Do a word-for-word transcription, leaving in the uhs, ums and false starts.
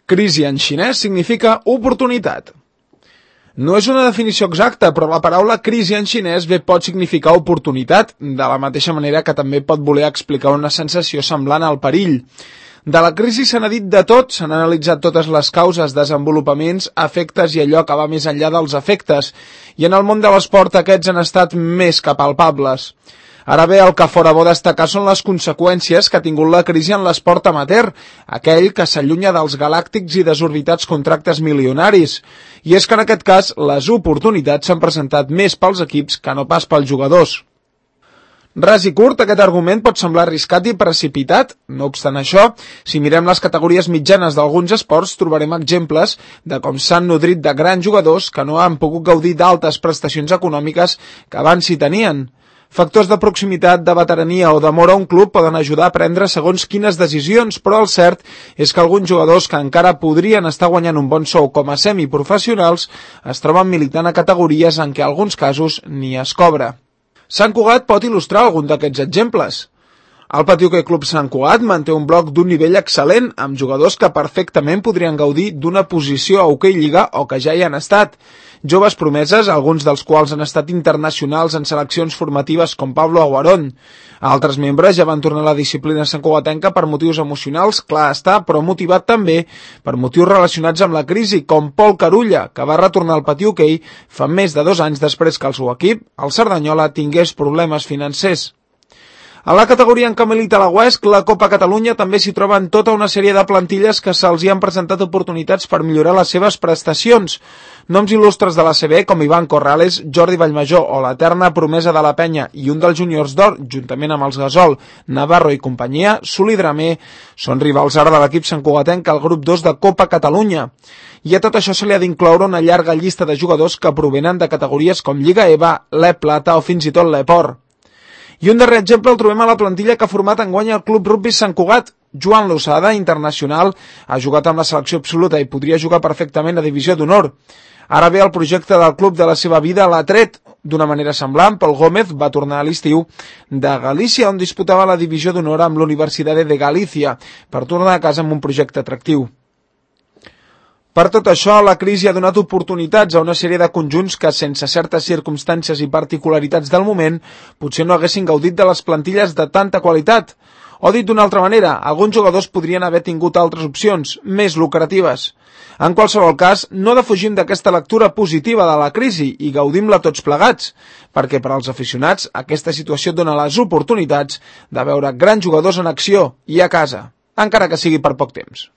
Crisi en xinès significa oportunitat. No és una definició exacta, però la paraula crisi en xinès bé pot significar oportunitat, de la mateixa manera que també pot voler explicar una sensació semblant al perill. De la crisi se n'ha dit de tot, s'han analitzat totes les causes, desenvolupaments, efectes i allò que va més enllà dels efectes, i en el món de l'esport aquests han estat més que palpables. Ara bé, el que fora bo destacar són les conseqüències que ha tingut la crisi en l'esport amateur, aquell que s'allunya dels galàctics i desorbitats contractes milionaris. I és que en aquest cas, les oportunitats s'han presentat més pels equips que no pas pels jugadors. Ras i curt, aquest argument pot semblar arriscat i precipitat. No obstant això, si mirem les categories mitjanes d'alguns esports, trobarem exemples de com s'han nodrit de grans jugadors que no han pogut gaudir d'altes prestacions econòmiques que abans s'hi tenien. Factors de proximitat, de veterania o d'amor a un club poden ajudar a prendre segons quines decisions, però el cert és que alguns jugadors que encara podrien estar guanyant un bon sou com a semiprofessionals es troben militant a categories en què en alguns casos ni es cobra. Sant Cugat pot il·lustrar algun d'aquests exemples. El Patí Hoquei Club Sant Cugat manté un bloc d'un nivell excel·lent, amb jugadors que perfectament podrien gaudir d'una posició a Hoquei Lliga o que ja hi han estat. Joves promeses, alguns dels quals han estat internacionals en seleccions formatives com Pablo Aguarón. Altres membres ja van tornar a la disciplina santcugatenca per motius emocionals, clar està, però motivat també per motius relacionats amb la crisi, com Pol Carulla, que va retornar al Patí Hoquei fa més de dos anys després que el seu equip, el Cerdanyola, tingués problemes financers. A la categoria en què milita la Huesc, la Copa Catalunya també s'hi troben tota una sèrie de plantilles que se'ls hi han presentat oportunitats per millorar les seves prestacions. Noms il·lustres de la C B com Ivan Corrales, Jordi Vallmajor o l'eterna promesa de la Penya i un dels juniors d'or, juntament amb els Gasol, Navarro i companyia, Suli Dramer, són rivals ara de l'equip santcugatenc al grup dos de Copa Catalunya. I a tot això se li ha d'incloure una llarga llista de jugadors que provenen de categories com Lliga E V A, l'E Plata o fins i tot l'Eport. I un darrer exemple el trobem a la plantilla que ha format enguany el Club Rugby Sant Cugat. Joan Losada, internacional, ha jugat amb la selecció absoluta i podria jugar perfectament a divisió d'honor. Ara bé, el projecte del club de la seva vida l'ha tret. D'una manera semblant, Pol Gómez va tornar a l'estiu de Galícia, on disputava la divisió d'honor amb l'Universitat de Galícia, per tornar a casa amb un projecte atractiu. Per tot això, la crisi ha donat oportunitats a una sèrie de conjunts que, sense certes circumstàncies i particularitats del moment, potser no haguessin gaudit de les plantilles de tanta qualitat. O dit d'una altra manera, alguns jugadors podrien haver tingut altres opcions, més lucratives. En qualsevol cas, no defugim d'aquesta lectura positiva de la crisi i gaudim-la tots plegats, perquè per als aficionats aquesta situació dona les oportunitats de veure grans jugadors en acció i a casa, encara que sigui per poc temps.